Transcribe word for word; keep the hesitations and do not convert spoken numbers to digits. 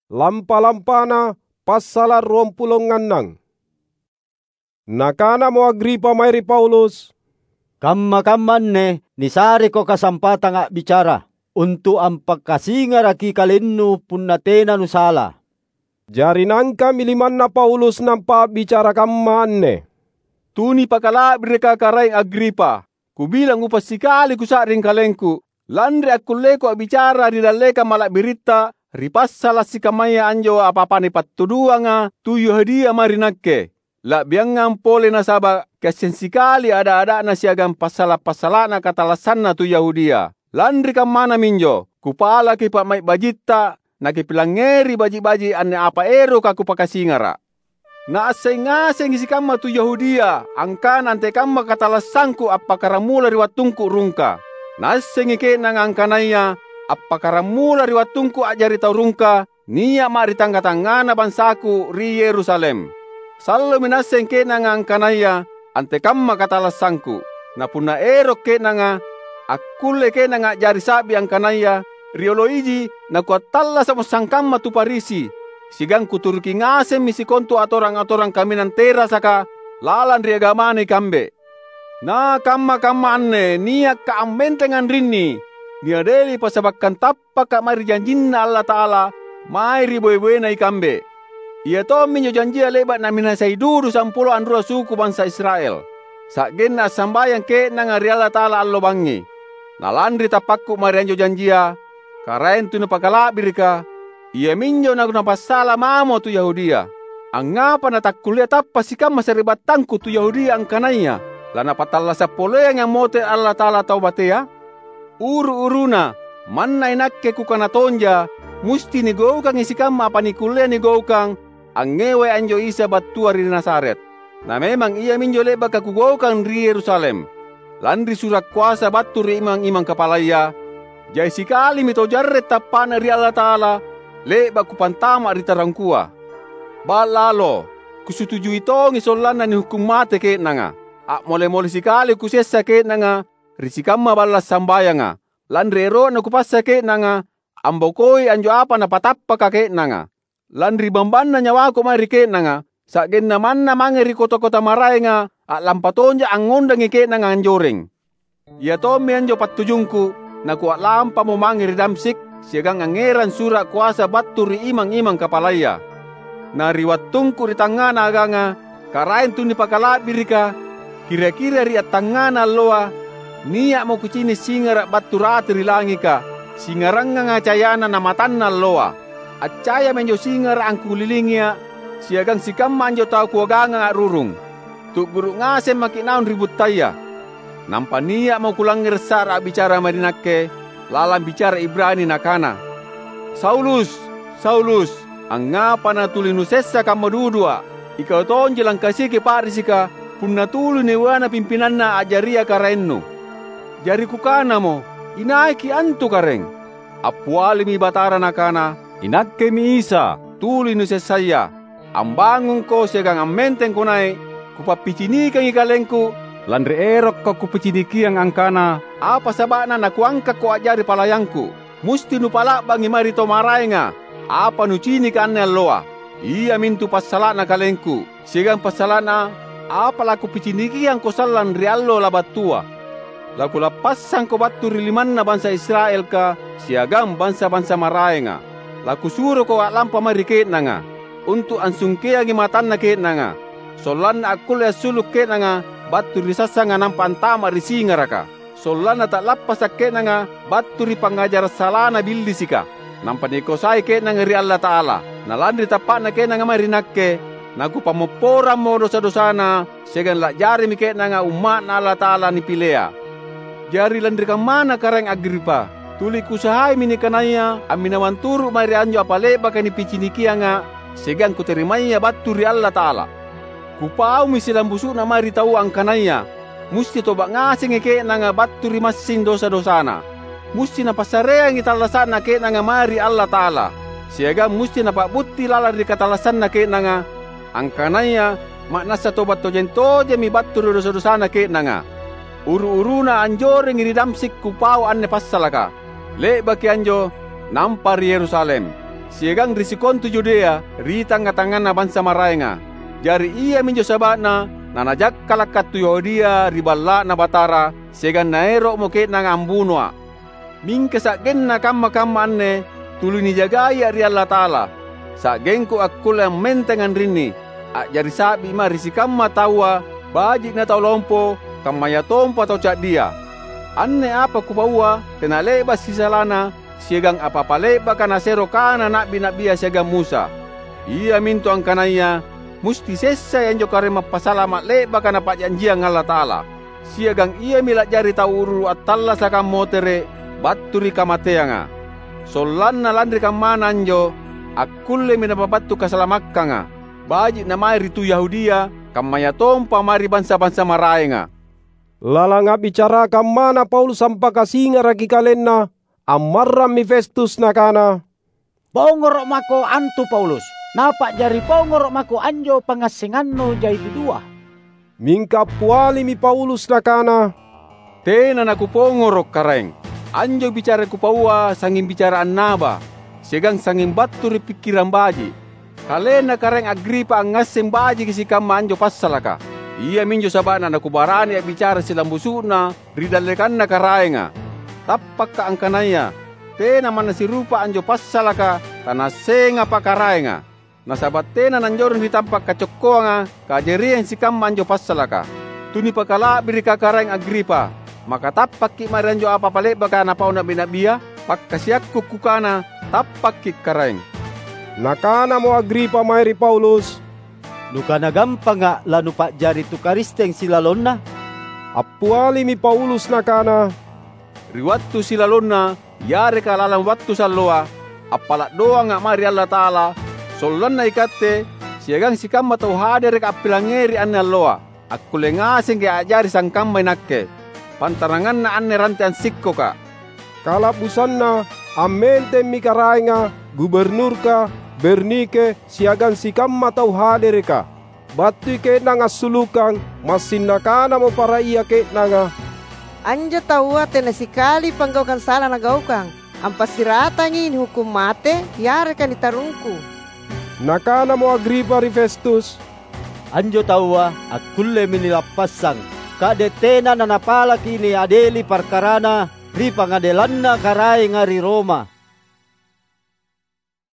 Lampa-lampana passala’ ruampulo ngannang. Nakanamo Agripa mae ri Paulus, "Kamma-kamma anne nisareko kasampatang a'bicara, untu’ ampakasingaraki kalennu punna tena nusala." Jari naangka'mi limanna Paulus nampa a'bicara kamma anne, "Tunipakala'birika, Karaeng Agripa! Kubilang upassikali kusa'ring kalengku, lanri akkulleku a'bicara ri dallekang mala'biritta ri passala’ sikammaya anjo apa-apa nipattuduanga tu Yahudia mae ri nakke. La'biangang pole nasaba’ kiasseng sikali ada-ada'na siagang passala’-passala'na katallassanna tu Yahudia. Lanri kammana minjo, kupalaki pa'mai’ bajitta, nakipilangngeri baji’-baji’ anne apa eroka kupakasingara’. Naasseng ngasengi sikamma tu Yahudia angkana antekamma katallassangku appakkaramula ri wattungku rungka. Naassengi ke'nanga angkanaya appakkaramula ri wattungku a'jari tau rungka, nia'ma’ ri tangnga-tangngana bangsaku ri Yerusalem. Sallomi naasseng ke'nanga angkanaya antekamma katallassangku. Na punna ero’ ke'nanga, akkulle ke'nanga a'jari sa'bi angkanaya riolo iji nakuattallasa'mo sangkamma tu Farisi, siagang kuturuki ngasemmi sikontu atorang-atorang kaminang terasaka lalang ri agamana ikambe. Na kamma-kamma anne nia'ka’ ammenteng anrinni, niadeli passabakkang tappaka’ mae ri janjinNa Allata'ala mae ri boe-boena ikambe. Ia tomminjo janjia le'ba’ naminasai dudu sampulo anrua suku bansa Israel, sa'genna assambayang ke'nanga ri Allata'ala allo bangngi. Na lanri tappakku mae ri anjo janjia, Karaeng Tunipakala'birika, iaminjo nakupassala mamo tu Yahudia. Angngapa natakkullea tappa’ sikamma sari'battangku tu Yahudia angkanaya lanapattallasa’ poleangi ammotere’ Allata'ala tau matea? Uru-uruna, manna inakke kukana tonja, musti nigaukangi sikamma apa nikkullea nigaukang angngewai anjo Isa battua ri Nazaret. Na memang iaminjo le'baka kugaukang ri Yerusalem, lanri sura’ koasa battu ri imang-imang kapalaya, jai sikalimi tau jarre’ tappa'na ri Allata'ala le'ba’ kupantama’ ri tarungkua. Ba'lalo, kusutujui tongi sollanna nihukkung mate ke'nanga. A'mole-mole sikali kusessa ke'nanga ri sikamma balla’ sambayanga, lanri ero'na kupassa ke'nanga ambokoi anjo apa napatappaka ke'nanga. Lanri bambanna nyawaku mae ri ke'nanga, sa'genna manna mange ri kota-kota maraenga a'lampa tonja’ angngondangi ke'nanga anjoreng. Ia tommi anjo pattujungku, nakua'lampamo mange ri Damsyik siagang angngerang sura’ koasa battu ri imang-imang kapalaya. Na ri wattungku ri tangngana aganga, Karaeng Tunipakala'birika, kira-kira ri attangngana alloa, nia'mo kucini’ singara’ battu rate ri langika, singaranganga cayana na matanna alloa. Accayami anjo singara’ angkulilingia’, siagang sikamma anjo tau kuagangang a'rurung. Tu'guru’ ngaseng maki’ naung ri buttaya. Nampa nia'mo kulangngere’ sa'ra a'bicara mae ri nakke, lalang bicara Ibrani nakana, "Saulus, Saulus, angngapa natuli nusessa kamma dudua’? Ikau tonji langkasiki pa'risika punna tuli niuana pimpinanna a'jaria karaennu." Jari kukanamo, "Inaiki’ antu, Karaeng?" Appialimi Batara Nakana, "INAKKEMI Isa, tuli nusessaya. Ambangungko siagang ammentengko nai’. Kupappicinikangi KalengKu, lanri erokKo Kupicinikiang angkana apa saba'na naKuangkakko a'jari palayanKu. Musti nupa'la'bangi mae ri tau maraenga apa nucinika anne alloa, iamintu passala'na KalengKu, siagang passala'na apa laKupicinikiangko sallang ri allo labattua. LaKulappassangko battu ri limanna bansa Israelka siagang bansa-bansa maraenga. LaKusuroko a'lampa mae ri ke'nanga, untu’ ansungkeangi matanna ke'nanga, sollanna akkulle assulu’ ke'nanga battu ri sassanga nampa antama’ ri singaraka. Sollanna ta'lappasa’ ke'nanga battu ri pangngajara’ salana Billisika, nampa nikoasai ke'nanga ri Allata'ala. Na lanri tappa'na ke'nanga mae ri Nakke, naKupammopporammo dosa-dosana, siagang la'jarimi ke'nanga umma'Na Allata'ala nipilea. Jari lanri kammana, Karaeng Agripa, tuli kuusahaimi nikanaya amminawang turu’ mae ri anjo apa le'baka Nipicinikianga siagang Kuterimaya battu ri Allata'ala. Kupaumi silambusu'na mae ri taua angkanaya musti toba’ ngasengi ke'nanga battu ri massing dosa-dosana. Musti napassareangi tallasa'na ke'nanga mae ri Allata'ala, siagang musti napa'butti lalang ri katallassanna ke'nanga, angkanaya ma'nassa toba’ tojeng-tojemmi battu ri dosa-dosana ke'nanga. Uru-uruna anjorengi ri Damsyik kupau anne passalaka. Le'baki anjo, nampa ri Yerusalem. siagang ri sikontu Yudea ri tangnga-tangnganna bansa maraenga. Jari iaminjo saba'na nanajakkala' kattu Yahudia ri Balla'Na Batara, siagang naero'mo ke'nanga ambunoa'. Mingka sa'genna kamma-kamma anne tuli nijagaia' ri Allata'ala, sa'gengku akkulle ammenteng anrinni, a'jari sa'bi mae ri sikamma taua, baji' na tau lompo, kammayatompa tau ca'dia. Anne apa kupaua tena le'ba' sisalana siagang apa-apa le'baka nasero kana na'bi-na'bia siagang Musa. Iamintu angkanaya musti sessai anjo Karaeng Mappasalama' le'baka Napa'janjiang Allata'ala. Siagang iami la'jari tau uru-uru attallasaka ammotere' battu ri kamateanga. Sollanna lanri kammana anjo, akkullemi napabattu kasalamakkanga, baji' na mae ri tu Yahudia, kammayatompa mae ri bansa-bansa maraenga." Lalang a'bicara kammana Paulus ampakasingaraki kalenna, ammarrammi Festus nakana, "Pongoro' mako antu Paulus, napa'jari pongoro' mako anjo pangngassengannu jai dudua." Mingka appialimi Paulus nakana, "Tena nakupongoro', Karaeng. Anjo bicara kupaua sangnging bicara annaba, siagang sangnging battu ri pikkirang baji'. Kalenna Karaeng Agripa angngasseng bajiki sikamma anjo passalaka. Iaminjo saba'na nakubarani a'bicara silambusu'na ri dallekanna Karaenga. Tappakka' angkanaya tena manna sirupa anjo passalaka tanassengapa Karaenga. Nasaba' tena nanjoreng ri tampa' kacokkoanga kajariang sikamma anjo passalaka. Tunipakala'birika Karaeng Agripa, maka tappakki' mae ri anjo apa-apa le'baka napau na'bi-na'bia? Pakkasiakku kukana, tappakki' Karaeng." Nakanamo Agripa mae ri Paulus, "Nukana gampanga' lanupa'jari tu Karisteng silalonna?" Appialimi Paulus nakana, "Ri wattu silalonna yareka lalang wattu salloa, appala' doanga' mae ri Allata'ala, sollanna ikatte siagang sikamma tau hadereka appilangngeri anne alloa, akkulle ngasengki' a'jari sangkamma inakke, pantaranganna anne rante ansikkoka." Kala'busanna ammentemmi karaenga, guburnurka, Bernike, siagang sikamma tau hadereka. Battui ke'nanga assulukang, massing nakanamo para ia ke'nanga, "Anjo taua tena sikali panggaukang sala nagaukang. Ampassiratangi nihukkung mate yareka nitarungku." Nakanamo Agripa ri Festus, "Anjo taua akkullemi nilappassang, ka'de' tena nanapalaki niadeli parkarana ri pangadelanna karaenga ri Roma."